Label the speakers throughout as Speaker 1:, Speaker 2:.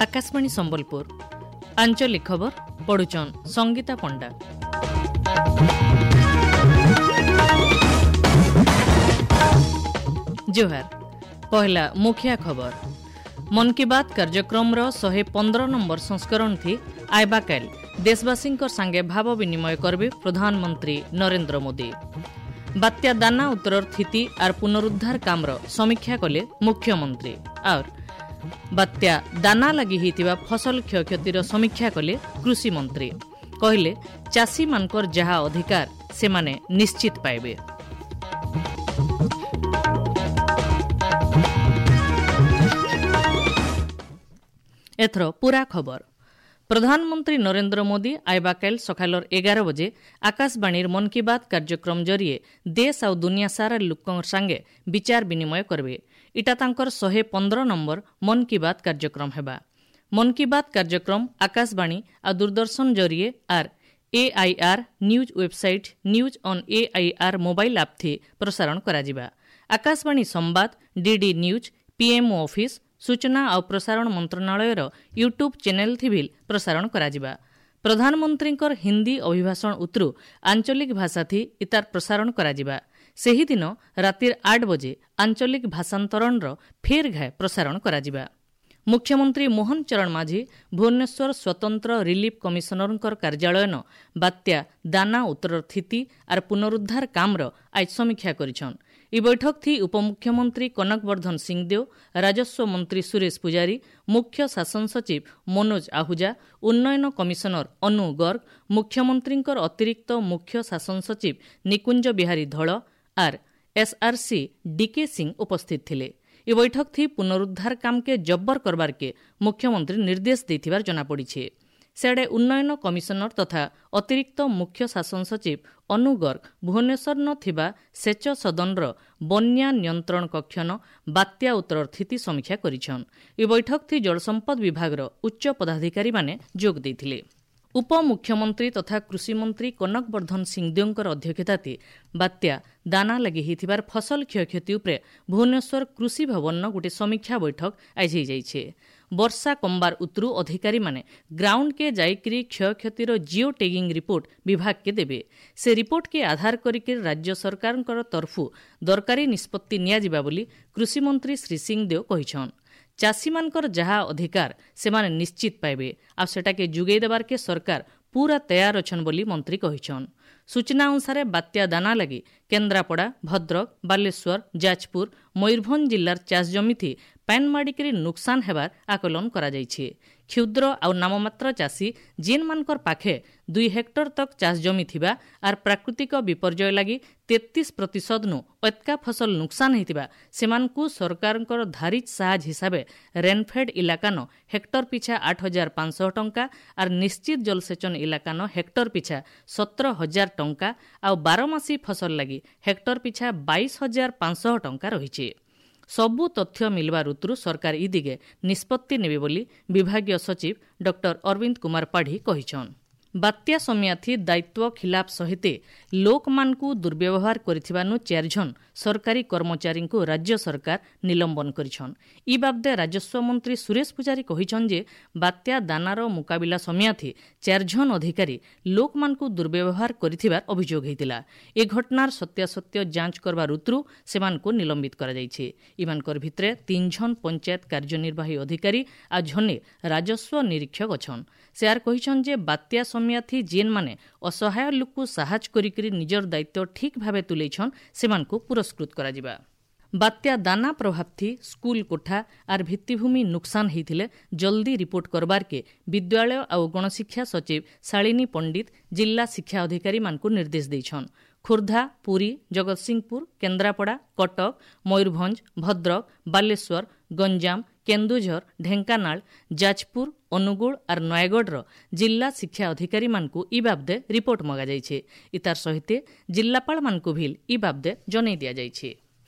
Speaker 1: ଆକାଶବାଣୀ ସମ୍ବଲପୁର ଆଞ୍ଚଳିକ ଖବର ପଢୁଛନ୍ ସଙ୍ଗୀତା ପଣ୍ଡା। ଜୁହାର। ପହିଲା ମୁଖିଆ ଖବର। ମନ୍ କି ବାତ୍ କାର୍ଯ୍ୟକ୍ରମର 115 ନମ୍ବର ସଂସ୍କରଣ ଥି ଆଇବାକାଲ ଦେଶବାସୀଙ୍କ ସାଙ୍ଗେ ଭାବ ବିନିମୟ କରିବେ ପ୍ରଧାନମନ୍ତ୍ରୀ ନରେନ୍ଦ୍ର ମୋଦି। ବାତ୍ୟା ଦାନା ଉତ୍ତରର ସ୍ଥିତି ଆର୍ ପୁନରୁଦ୍ଧାର କାମର ସମୀକ୍ଷା କଲେ ମୁଖ୍ୟମନ୍ତ୍ରୀ। ଆର୍ ବାତ୍ୟା ଦାନା ଲାଗି ହୋଇଥିବା ଫସଲ କ୍ଷୟକ୍ଷତିର ସମୀକ୍ଷା କଲେ କୃଷିମନ୍ତ୍ରୀ। କହିଲେ ଚାଷୀମାନଙ୍କର ଯାହା ଅଧିକାର ସେମାନେ ନିଶ୍ଚିତ ପାଇବେ। ଏଥର ପୁରା ଖବର। ପ୍ରଧାନମନ୍ତ୍ରୀ ନରେନ୍ଦ୍ର ମୋଦି ଆଇବାକାଲ ସକାଳର 11 ବଜେ ଆକାଶବାଣୀର ମନ୍ କି ବାତ୍ କାର୍ଯ୍ୟକ୍ରମ ଜରିଏ ଦେଶ ଆଉ ଦୁନିଆ ସାରା ଲୋକଙ୍କ ସାଙ୍ଗେ ବିଚାର ବିନିମୟ କରିବେ। ଇଟା ତାଙ୍କର 115 ନମ୍ବର ମନ୍ କି ବାତ୍ କାର୍ଯ୍ୟକ୍ରମ ହେବା। ମନ୍ କି ବାତ୍ କାର୍ଯ୍ୟକ୍ରମ ଆକାଶବାଣୀ ଆଉ ଦୂରଦର୍ଶନ ଜରିଏ ଆର୍ AIR news website, news on AIR mobile app ଥି ପ୍ରସାରଣ କରାଯିବା। ଆକାଶବାଣୀ ସମ୍ବାଦ, ଡିଡି ନ୍ୟୁଜ୍, ପିଏମ୍ଓ ଅଫିସ୍, ସୂଚନା ଆଉ ପ୍ରସାରଣ ମନ୍ତ୍ରଣାଳୟର ୟୁଟ୍ୟୁବ୍ ଚ୍ୟାନେଲ୍ ଥିଭିଲ୍ ପ୍ରସାରଣ କରାଯିବା। ପ୍ରଧାନମନ୍ତ୍ରୀଙ୍କର ହିନ୍ଦୀ ଅଭିଭାଷଣ ଉତରୁ ଆଞ୍ଚଳିକ ଭାଷାଥି ଇତାର ପ୍ରସାରଣ କରାଯିବା। ସେହିଦିନ ରାତିର 8 ବଜେ ଆଞ୍ଚଳିକ ଭାଷାନ୍ତରଣର ଫେର୍ ଘାଏ ପ୍ରସାରଣ କରାଯିବା। ମୁଖ୍ୟମନ୍ତ୍ରୀ ମୋହନ ଚରଣ ମାଝୀ ଭୁବନେଶ୍ୱର ସ୍ୱତନ୍ତ୍ର ରିଲିଫ୍ କମିଶନରଙ୍କର କାର୍ଯ୍ୟାଳୟନ ବାତ୍ୟା ଦାନା ଉତ୍ତରର ସ୍ଥିତି ଆର୍ ପୁନରୁଦ୍ଧାର କାମର ଆଜ ସମୀକ୍ଷା କରିଛନ୍। ଇ ବୈଠକ ଥି ଉପମୁଖ୍ୟମନ୍ତ୍ରୀ କନକ ବର୍ଦ୍ଧନ ସିଂଦେଓ, ରାଜସ୍ୱ ମନ୍ତ୍ରୀ ସୁରେଶ ପୂଜାରୀ, ମୁଖ୍ୟ ଶାସନ ସଚିବ ମନୋଜ ଆହୁଜା, ଉନ୍ନୟନ କମିଶନର ଅନୁ ଗର୍ଗ, ମୁଖ୍ୟମନ୍ତ୍ରୀଙ୍କର ଅତିରିକ୍ତ ମୁଖ୍ୟ ଶାସନ ସଚିବ ନିକୁଞ୍ଜ ବିହାରୀ ଧଳ ଆର୍ ଏସ୍ଆର୍ସି ଡିକେ ସିଂ ଉପସ୍ଥିତ ଥିଲେ। ଏ ବୈଠକ ଥି ପୁନରୁଦ୍ଧାର କାମକେ ଜବ୍ବର କରବାରକେ ମୁଖ୍ୟମନ୍ତ୍ରୀ ନିର୍ଦ୍ଦେଶ ଦେଇଥିବାର ଜଣାପଡ଼ିছে। ସିଆଡ଼େ ଉନ୍ନୟନ କମିଶନର ତଥା ଅତିରିକ୍ତ ମୁଖ୍ୟ ଶାସନ ସଚିବ ଅନୁ ଗର୍ଗ ଭୁବନେଶ୍ୱର ଥିବା ସେଚ ସଦନର ବନ୍ୟା ନିୟନ୍ତ୍ରଣ କକ୍ଷନ ବାତ୍ୟା ଉତ୍ତରର ସ୍ଥିତି ସମୀକ୍ଷା କରିଛନ୍। ଏ ବୈଠକ ଥି ଜଳସମ୍ପଦ ବିଭାଗର ଉଚ୍ଚ ପଦାଧିକାରୀମାନେ ଯୋଗ ଦେଇଥିଲେ। ଉପମୁଖ୍ୟମନ୍ତ୍ରୀ ତଥା କୃଷିମନ୍ତ୍ରୀ କନକ ବର୍ଦ୍ଧନ ସିଂଦେଓଙ୍କର ଅଧ୍ୟକ୍ଷତାରେ ବାତ୍ୟା ଦାନା ଲାଗି ହୋଇଥିବାର ଫସଲ କ୍ଷୟକ୍ଷତି ଉପରେ ଭୁବନେଶ୍ୱର କୃଷି ଭବନର ଗୋଟିଏ ସମୀକ୍ଷା ବୈଠକ ଆଜି ହୋଇଯାଇଛି। ବର୍ଷା କମ୍ବାର ଉତରୁ ଅଧିକାରୀମାନେ ଗ୍ରାଉଣ୍ଡକେ ଯାଇକରି କ୍ଷୟକ୍ଷତିର ଜିଓ ଟେଗିଂ ରିପୋର୍ଟ ବିଭାଗକେ ଦେବେ। ସେ ରିପୋର୍ଟକେ ଆଧାର କରିକି ରାଜ୍ୟ ସରକାରଙ୍କର ତରଫୁ ଦରକାରୀ ନିଷ୍ପତ୍ତି ନିଆଯିବା ବୋଲି କୃଷିମନ୍ତ୍ରୀ ଶ୍ରୀ ସିଂଦେଓ କହିଛନ୍। ଚାଷୀମାନଙ୍କର ଯାହା ଅଧିକାର ସେମାନେ ନିଶ୍ଚିତ ପାଇବେ ଆଉ ସେଟାକେ ଯୋଗାଇ ଦେବାର୍କେ ସରକାର ପୁରା ତୟାର ଅଛନ୍ ବୋଲି ମନ୍ତ୍ରୀ କହିଛନ୍। ସୂଚନା ଅନୁସାରେ ବାତ୍ୟା ଦାନା ଲାଗି କେନ୍ଦ୍ରାପଡ଼ା, ଭଦ୍ରକ, ବାଲେଶ୍ୱର, ଯାଜପୁର, ମୟୂରଭଞ୍ଜ ଜିଲ୍ଲାର ଚାଷ ଜମିଥି ପାନ୍ ମାଡ଼ିକରି ନୁକସାନ ହେବାର ଆକଳନ କରାଯାଇଛି। କ୍ଷୁଦ୍ର ଆଉ ନାମମାତ୍ର ଚାଷୀ ଯେନ୍ମାନଙ୍କର ପାଖେ 2 ହେକ୍ଟର ତକ୍ ଚାଷ ଜମି ଥିବା ଆର୍ ପ୍ରାକୃତିକ ବିପର୍ଯ୍ୟୟ ଲାଗି 33% ନୁ ଅତ୍କା ଫସଲ ନୁକସାନ ହେଇଥିବା ସେମାନଙ୍କୁ ସରକାରଙ୍କର ଧାରିତ ସାହାଯ୍ୟ ହିସାବେ ରେନଫେଡ୍ ଇଲାକାନ ହେକ୍ଟର ପିଛା 8500 ଟଙ୍କା ଆର୍ ନିଶ୍ଚିତ ଜଳସେଚନ ଇଲାକାନ ହେକ୍ଟର ପିଛା 17,000 ଟଙ୍କା ଆଉ ବାରମାସୀ ଫସଲ ଲାଗି ହେକ୍ଟର ପିଛା 22,500 ଟଙ୍କା ରହିଛି। ସବୁ ତଥ୍ୟ ମିଳିବା ଋତୁରୁ ସରକାର ଇ ଦିଗେ ନିଷ୍ପତ୍ତି ନେବେ ବୋଲି ବିଭାଗୀୟ ସଚିବ ଡକ୍ଟର ଅରବିନ୍ଦ କୁମାର ପାଢ଼ୀ କହିଛନ୍। ବାତ୍ୟା ସମିଆଥି ଦାୟିତ୍ୱ ଖିଲାପ ସହିତ ଲୋକମାନଙ୍କୁ ଦୁର୍ବ୍ୟବହାର କରିଥିବାନୁ 4 ଜଣ ସରକାରୀ କର୍ମଚାରୀଙ୍କୁ ରାଜ୍ୟ ସରକାର ନିଲମ୍ବନ କରିଛନ୍। ଇ ବାବଦେ ରାଜସ୍ୱ ମନ୍ତ୍ରୀ ସୁରେଶ ପୂଜାରୀ କହିଛନ୍ ଯେ ବାତ୍ୟା ଦାନାର ମୁକାବିଲା ସମିଆଥି 4 ଜଣ ଅଧିକାରୀ ଲୋକମାନଙ୍କୁ ଦୁର୍ବ୍ୟବହାର କରିଥିବାର ଅଭିଯୋଗ ହୋଇଥିଲା। ଏ ଘଟଣାର ସତ୍ୟାସତ୍ୟ ଯାଞ୍ଚ କରବା ଋତୁରୁ ସେମାନଙ୍କୁ ନିଲମ୍ବିତ କରାଯାଇଛି। ଇମାନଙ୍କର ଭିତରେ 3 ଜଣ ପଞ୍ଚାୟତ କାର୍ଯ୍ୟନିର୍ବାହୀ ଅଧିକାରୀ ଆଉ ଜଣେ ରାଜସ୍ୱ ନିରୀକ୍ଷକ ଅଛନ୍। ସେ ଆର୍ କହିଛନ୍ ଯେ ବାତ୍ୟା ସମିଆଥି ଯେନ୍ମାନେ ଅସହାୟ ଲୋକକୁ ସାହାଯ୍ୟ କରିକରି ନିଜର ଦାୟିତ୍ୱ ଠିକ୍ ଭାବେ ତୁଲେଇଛନ୍ ସେମାନଙ୍କୁ ପୁରସ୍କୃତ କରାଯିବା। ବାତ୍ୟା ଦାନା ପ୍ରଭାବଥି ସ୍କୁଲ କୋଠା ଆର୍ ଭିତ୍ତିଭୂମି ନୁକସାନ ହେଇଥିଲେ ଜଲ୍ଦି ରିପୋର୍ଟ କରବାର୍କେ ବିଦ୍ୟାଳୟ ଆଉ ଗଣଶିକ୍ଷା ସଚିବ ଶାଳିନୀ ପଣ୍ଡିତ ଜିଲ୍ଲା ଶିକ୍ଷା ଅଧିକାରୀମାନଙ୍କୁ ନିର୍ଦ୍ଦେଶ ଦେଇଛନ୍। ଖୋର୍ଦ୍ଧା, ପୁରୀ, ଜଗତସିଂହପୁର, କେନ୍ଦ୍ରାପଡ଼ା, କଟକ, ମୟୂରଭଞ୍ଜ, ଭଦ୍ରକ, ବାଲେଶ୍ୱର, ଗଞ୍ଜାମ, କେନ୍ଦୁଝର, ଢେଙ୍କାନାଳ, ଯାଜପୁର, ଅନୁଗୁଳ ଆର୍ ନୟାଗଡ଼ର ଜିଲ୍ଲା ଶିକ୍ଷା ଅଧିକାରୀମାନଙ୍କୁ ଇ ବାବଦେ ରିପୋର୍ଟ ମଗାଯାଇଛି। ଇତାର ସହିତ ଜିଲ୍ଲାପାଳମାନଙ୍କୁ ଭିଲ୍ ଇ ବାବଦେ ଜଣାଇ ଦିଆଯାଇଛି।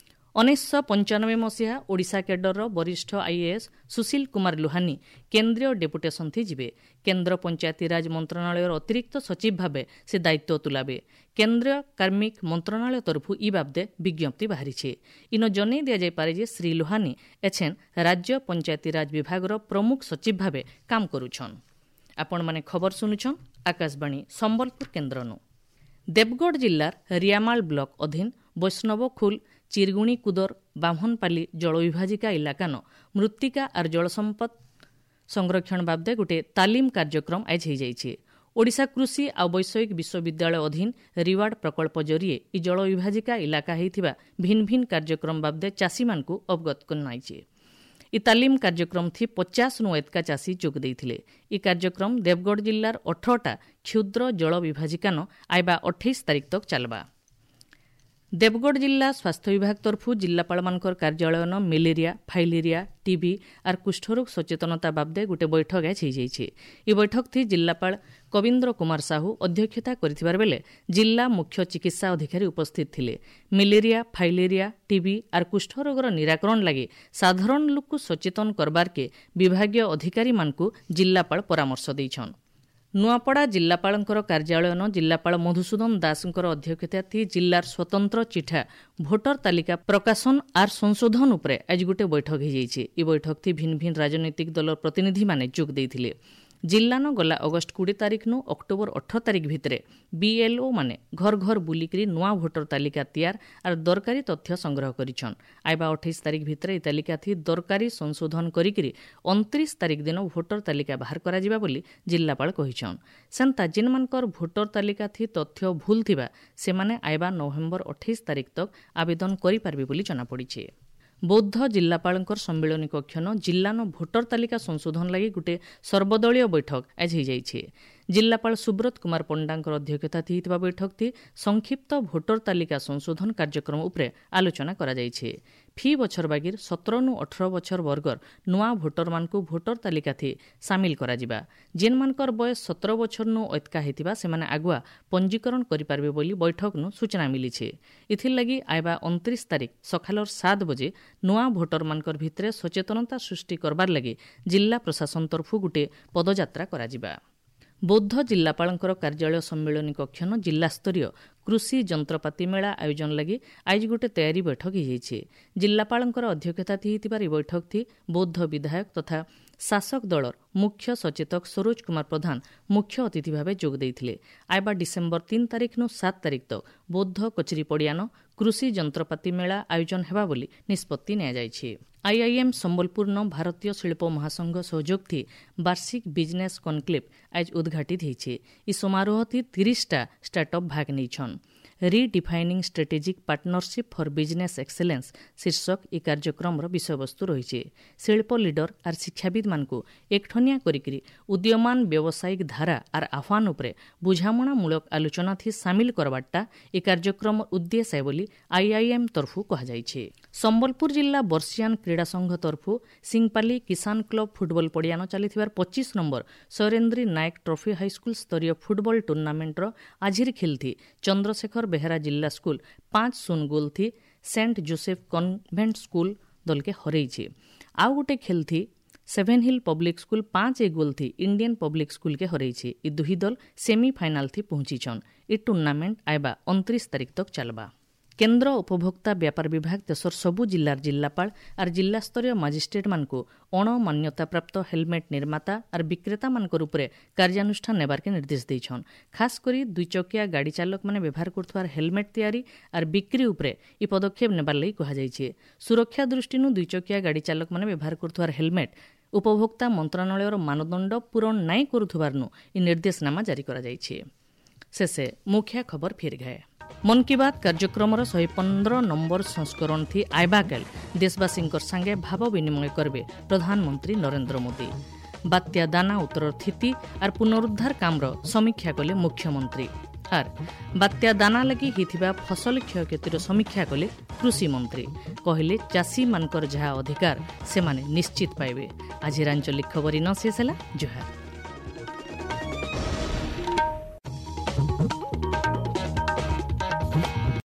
Speaker 1: 1995 ମସିହା ଓଡ଼ିଶା କ୍ୟାଡରର ବରିଷ୍ଠ ଆଇଏଏସ୍ ସୁଶୀଲ କୁମାର ଲୋହାନୀ କେନ୍ଦ୍ରୀୟ ଡେପୁଟେସନ୍ ଥି ଯିବେ। କେନ୍ଦ୍ର ପଞ୍ଚାୟତିରାଜ ମନ୍ତ୍ରଣାଳୟର ଅତିରିକ୍ତ ସଚିବ ଭାବେ ସେ ଦାୟିତ୍ୱ ତୁଲାବେ। କେନ୍ଦ୍ରୀୟ କାର୍ମିକ ମନ୍ତ୍ରଣାଳୟ ତରଫରୁ ଇ ବାବଦେ ବିଜ୍ଞପ୍ତି ବାହାରିଛି। ଇନ ଜନେଇ ଦିଆଯାଇପାରେ ଯେ ଶ୍ରୀ ଲୋହାନୀ ଏଛେନ୍ ରାଜ୍ୟ ପଞ୍ଚାୟତିରାଜ ବିଭାଗର ପ୍ରମୁଖ ସଚିବ ଭାବେ କାମ କରୁଛନ୍। ଆପଣମାନେ ଖବର ଶୁଣୁଛନ୍ ଆକାଶବାଣୀ ସମ୍ବଲପୁର କେନ୍ଦ୍ରନୁ। ଦେବଗଡ଼ ଜିଲ୍ଲାର ରିଆମାଳ ବ୍ଲକ ଅଧୀନ ବୈଷ୍ଣବଖୁଲ, ଚିରଗୁଣି କୁଦର, ବାହ୍ମଣପାଲି ଜଳବିଭାଜିକା ଇଲାକାନ ମୃତ୍ତିକା ଆର୍ ଜଳସମ୍ପଦ ସଂରକ୍ଷଣ ବାବଦେ ଗୋଟିଏ ତାଲିମ କାର୍ଯ୍ୟକ୍ରମ ଆଇଜ ହୋଇଯାଇଛି। ଓଡ଼ିଶା କୃଷି ଆଉ ବୈଷୟିକ ବିଶ୍ୱବିଦ୍ୟାଳୟ ଅଧୀନ ରିୱାର୍ଡ ପ୍ରକଳ୍ପ ଜରିଏ ଇ ଜଳବିଭାଜିକା ଇଲାକା ହେଇଥିବା ଭିନ୍ନ ଭିନ୍ନ କାର୍ଯ୍ୟକ୍ରମ ବାବଦେ ଚାଷୀମାନଙ୍କୁ ଅବଗତ କରାଯାଇଛି। ଇ ତାଲିମ କାର୍ଯ୍ୟକ୍ରମ ଥି 50 ନୁ ଏତକା ଚାଷୀ ଯୋଗ ଦେଇଥିଲେ। ଇ କାର୍ଯ୍ୟକ୍ରମ ଦେବଗଡ଼ ଜିଲ୍ଲାର 18ଟା କ୍ଷୁଦ୍ର ଜଳ ବିଭାଜିକାନ ଆଇବା 28 ତାରିଖ ତକ ଚାଲବା। ଦେବଗଡ଼ ଜିଲ୍ଲା ସ୍ୱାସ୍ଥ୍ୟ ବିଭାଗ ତରଫରୁ ଜିଲ୍ଲାପାଳମାନଙ୍କର କାର୍ଯ୍ୟାଳୟନ ମେଲେରିଆ, ଫାଇଲେରିଆ, ଟିବି ଆର୍ କୁଷ୍ଠରୋଗ ସଚେତନତା ବାବଦେ ଗୋଟେ ବୈଠକ ଆଜ ହେଇଯାଇଛି। ଏହି ବୈଠକ ଥି ଜିଲ୍ଲାପାଳ କବୀନ୍ଦ୍ର କୁମାର ସାହୁ ଅଧ୍ୟକ୍ଷତା କରିଥିବାର ବେଲେ ଜିଲ୍ଲା ମୁଖ୍ୟ ଚିକିତ୍ସା ଅଧିକାରୀ ଉପସ୍ଥିତ ଥିଲେ। ମେଲେରିଆ, ଫାଇଲେରିଆ, ଟିବି ଆର୍ କୁଷ୍ଠରୋଗର ନିରାକରଣ ଲାଗି ସାଧାରଣ ଲୋକକୁ ସଚେତନ କରବାରକେ ବିଭାଗୀୟ ଅଧିକାରୀମାନଙ୍କୁ ଜିଲ୍ଲାପାଳ ପରାମର୍ଶ ଦେଇଛନ୍। ନୂଆପଡ଼ା ଜିଲ୍ଲାପାଳଙ୍କର କାର୍ଯ୍ୟାଳୟନ ଜିଲ୍ଲାପାଳ ମଧୁସୂଦନ ଦାସଙ୍କର ଅଧ୍ୟକ୍ଷତା ଥି ଜିଲ୍ଲାର ସ୍ୱତନ୍ତ୍ର ଚିଠା ଭୋଟର ତାଲିକା ପ୍ରକାଶନ ଆର୍ ସଂଶୋଧନ ଉପରେ ଆଜି ଗୋଟେ ବୈଠକ ହୋଇଯାଇଛି। ଏହି ବୈଠକ ଥି ଭିନ୍ନ ଭିନ୍ନ ରାଜନୈତିକ ଦଳର ପ୍ରତିନିଧିମାନେ ଯୋଗ ଦେଇଥିଲେ। ଜିଲ୍ଲାନ ଗଲା ଅଗଷ୍ଟ 20 ତାରିଖନୁ ଅକ୍ଟୋବର 18 ତାରିଖ ଭିତରେ ବିଏଲ୍ଓ ମାନେ ଘର ଘର ବୁଲିକରି ନୂଆ ଭୋଟର ତାଲିକା ତିଆର ଆର୍ ଦରକାରୀ ତଥ୍ୟ ସଂଗ୍ରହ କରିଛନ୍। ଆଇବା 28 ତାରିଖ ଭିତରେ ଏହି ତାଲିକା ଥି ଦରକାରୀ ସଂଶୋଧନ କରିକିରି 29 ତାରିଖ ଦିନ ଭୋଟର ତାଲିକା ବାହାର କରାଯିବା ବୋଲି ଜିଲ୍ଲାପାଳ କହିଛନ୍। ସେନ୍ତା ଯେନ୍ମାନଙ୍କର ଭୋଟର ତାଲିକା ଥି ତଥ୍ୟ ଭୁଲ ଥିବା ସେମାନେ ଆଇବା ନଭେମ୍ବର 28 ତାରିଖ ତକ ଆବେଦନ କରିପାରିବେ ବୋଲି ଜଣାପଡ଼ିଛି। ବୌଦ୍ଧ ଜିଲ୍ଲାପାଳଙ୍କର ସମ୍ମିଳନୀ କକ୍ଷନ ଜିଲ୍ଲାନ ଭୋଟର ତାଲିକା ସଂଶୋଧନ ଲାଗି ଗୋଟିଏ ସର୍ବଦଳୀୟ ବୈଠକ ଆଜି ହୋଇଯାଇଛି। ଜିଲ୍ଲାପାଳ ସୁବ୍ରତ କୁମାର ପଣ୍ଡାଙ୍କର ଅଧ୍ୟକ୍ଷତା ହେଇଥିବା ବୈଠକ ଥି ସଂକ୍ଷିପ୍ତ ଭୋଟର ତାଲିକା ସଂଶୋଧନ କାର୍ଯ୍ୟକ୍ରମ ଉପରେ ଆଲୋଚନା କରାଯାଇଛି। ଫି ବଛର ବାଗିର 17ନୁ 18 ବଛର ବର୍ଗର ନୂଆ ଭୋଟରମାନଙ୍କୁ ଭୋଟର ତାଲିକା ଥି ସାମିଲ କରାଯିବା। ଯେନ୍ମାନଙ୍କର ବୟସ 17 ବଛରନୁ ଅତକା ହେଇଥିବା ସେମାନେ ଆଗୁଆ ପଞ୍ଜୀକରଣ କରିପାରିବେ ବୋଲି ବୈଠକନୁ ସୂଚନା ମିଳିଛି। ଏଥିର୍ଲାଗି ଆଇବା 29 ତାରିଖ ସକାଳର 7 ବଜେ ନୂଆ ଭୋଟରମାନଙ୍କର ଭିତରେ ସଚେତନତା ସୃଷ୍ଟି କରବାର୍ ଲାଗି ଜିଲ୍ଲା ପ୍ରଶାସନ ତରଫରୁ ଗୋଟିଏ ପଦଯାତ୍ରା କରାଯିବା। ବୌଦ୍ଧ ଜିଲ୍ଲାପାଳଙ୍କର କାର୍ଯ୍ୟାଳୟ ସମ୍ମିଳନୀ କକ୍ଷନ ଜିଲ୍ଲାସ୍ତରୀୟ କୃଷି ଯନ୍ତ୍ରପାତି ମେଳା ଆୟୋଜନ ଲାଗି ଆଜି ଗୋଟେ ତୟାରୀ ବୈଠକ ହୋଇଯାଇଛି। ଜିଲ୍ଲାପାଳଙ୍କର ଅଧ୍ୟକ୍ଷତା ହେଇଥିବାର ଏହି ବୈଠକ ଥି ବୌଦ୍ଧ ବିଧାୟକ ତଥା ଶାସକ ଦଳର ମୁଖ୍ୟ ସଚେତକ ସରୋଜ କୁମାର ପ୍ରଧାନ ମୁଖ୍ୟ ଅତିଥି ଭାବେ ଯୋଗ ଦେଇଥିଲେ। ଆଇବା ଡିସେମ୍ବର 3 ତାରିଖନୁ 7 ତାରିଖ ତକ ବୌଦ୍ଧ କଚେରୀ ପଡ଼ିଆନ କୃଷି ଯନ୍ତ୍ରପାତି ମେଳା ଆୟୋଜନ ହେବା ବୋଲି ନିଷ୍ପତ୍ତି ନିଆଯାଇଛି। ଆଇଆଇଏମ୍ ସମ୍ବଲପୁରନ ଭାରତୀୟ ଶିଳ୍ପ ମହାସଂଘ ସହଯୋଗ ଥି ବାର୍ଷିକ ବିଜନେସ୍ କନକ୍ଲେଭ୍ ଆଜ ଉଦ୍ଘାଟିତ ହେଇଛି। ଇ ସମାରୋହ ଥି 30ଟା ଷ୍ଟାର୍ଟଅପ୍ ଭାଗ ନେଇଛନ୍। Redefining strategic partnership for business excellence ଶୀର୍ଷକ ଏହି କାର୍ଯ୍ୟକ୍ରମର ବିଷୟବସ୍ତୁ ରହିଛି। ଶିଳ୍ପ ଲିଡର ଆର୍ ଶିକ୍ଷାବିଦମାନଙ୍କୁ ଏକଠନିଆ କରିକିରି ଉଦୀୟମାନ ବ୍ୟବସାୟିକ ଧାରା ଆର୍ ଆହ୍ୱାନ ଉପରେ ବୁଝାମଣାମୂଳକ ଆଲୋଚନା ଥି ସାମିଲ କରବାରଟା ଏହି କାର୍ଯ୍ୟକ୍ରମ ଉଦ୍ଦେଶ୍ୟ ବୋଲି ଆଇଆଇଏମ୍ ତରଫରୁ କୁହାଯାଇଛି। ସମ୍ବଲପୁର ଜିଲ୍ଲା ବର୍ଷିଆନ କ୍ରୀଡ଼ା ସଂଘ ତରଫରୁ ସିଂପାଲି କିଷାନ କ୍ଲବ ଫୁଟବଲ ପଡ଼ିଆନ ଚାଲିଥିବାର 25 number Sairendri Nayak trophy high school ସ୍ତରୀୟ ଫୁଟବଲ ଟୁର୍ଣ୍ଣାମେଣ୍ଟର ଆଜିର ଖେଲଥି ଚନ୍ଦ୍ରଶେଖର ବେହେରା ଜିଲ୍ଲା ସ୍କୁଲ 5-0 ଗୋଲ ଥି ସେଣ୍ଟ ଜୋସେଫ କନଭେଣ୍ଟ ସ୍କୁଲ ଦଲକେ ହରେଇଛି। ଆଉ ଗୋଟେ ଖେଲଥି ସେଭେନ୍ ହିଲ୍ ପବ୍ଲିକ ସ୍କୁଲ 5-1 ଗୋଲ ଥି ଇଣ୍ଡିଆନ୍ ପବ୍ଲିକ ସ୍କୁଲକେ ହରେଇଛି। ଇ ଦୁହି ଦଲ ସେମିଫାଇନାଲ ଥି ପହଞ୍ଚିଛନ୍। ଇ ଟୁର୍ଣ୍ଣାମେଣ୍ଟ ଆଇବା 29 ତାରିଖ ତକ ଚାଲବା। କେନ୍ଦ୍ର ଉପଭୋକ୍ତା ବ୍ୟାପାର ବିଭାଗ ଦେଶର ସବୁ ଜିଲ୍ଲାର ଜିଲ୍ଲାପାଳ ଆର୍ ଜିଲ୍ଲାସ୍ତରୀୟ ମାଜିଷ୍ଟ୍ରେଟ୍ମାନଙ୍କୁ ଅଣମାନ୍ୟତାପ୍ରାପ୍ତ ହେଲମେଟ୍ ନିର୍ମାତା ଆର୍ ବିକ୍ରେତାମାନଙ୍କର ଉପରେ କାର୍ଯ୍ୟାନୁଷ୍ଠାନ ନେବାର୍କେ ନିର୍ଦ୍ଦେଶ ଦେଇଛନ୍। ଖାସ୍ କରି ଦୁଇଚକିଆ ଗାଡ଼ି ଚାଲକମାନେ ବ୍ୟବହାର କରୁଥିବାର ହେଲମେଟ୍ ତିଆରି ଆର୍ ବିକ୍ରି ଉପରେ ଇ ପଦକ୍ଷେପ ନେବାର୍ ଲାଗି କୁହାଯାଇଛି। ସୁରକ୍ଷା ଦୃଷ୍ଟିନୁ ଦୁଇଚକିଆ ଗାଡ଼ି ଚାଲକମାନେ ବ୍ୟବହାର କରୁଥିବାର ହେଲମେଟ୍ ଉପଭୋକ୍ତା ମନ୍ତ୍ରଣାଳୟର ମାନଦଣ୍ଡ ପୂରଣ ନାଇଁ କରୁଥିବାରନୁ ଇ ନିର୍ଦ୍ଦେଶନାମା ଜାରି କରାଯାଇଛି। ଶେଷେ ମୁଖ୍ୟ ଖବର ଫିର୍ ଘାଏ। ମନ୍ କି ବାତ୍ କାର୍ଯ୍ୟକ୍ରମର 115 ନମ୍ବର ସଂସ୍କରଣ ଥି ଆଇବାକାଲ ଦେଶବାସୀଙ୍କର ସାଙ୍ଗେ ଭାବ ବିନିମୟ କରିବେ ପ୍ରଧାନମନ୍ତ୍ରୀ ନରେନ୍ଦ୍ର ମୋଦି। ବାତ୍ୟା ଦାନା ଉତ୍ତରର ସ୍ଥିତି ଆର୍ ପୁନରୁଦ୍ଧାର କାମର ସମୀକ୍ଷା କଲେ ମୁଖ୍ୟମନ୍ତ୍ରୀ। ଆର୍ ବାତ୍ୟା ଦାନା ଲାଗି ହେଇଥିବା ଫସଲ କ୍ଷୟକ୍ଷତିର ସମୀକ୍ଷା କଲେ କୃଷିମନ୍ତ୍ରୀ। କହିଲେ ଚାଷୀମାନଙ୍କର ଯାହା ଅଧିକାର ସେମାନେ ନିଶ୍ଚିତ ପାଇବେ। ଆଜିର ଆଞ୍ଚଳିକ ଖବର ଇନ ଶେଷ ହେଲା। ଜୁହାର।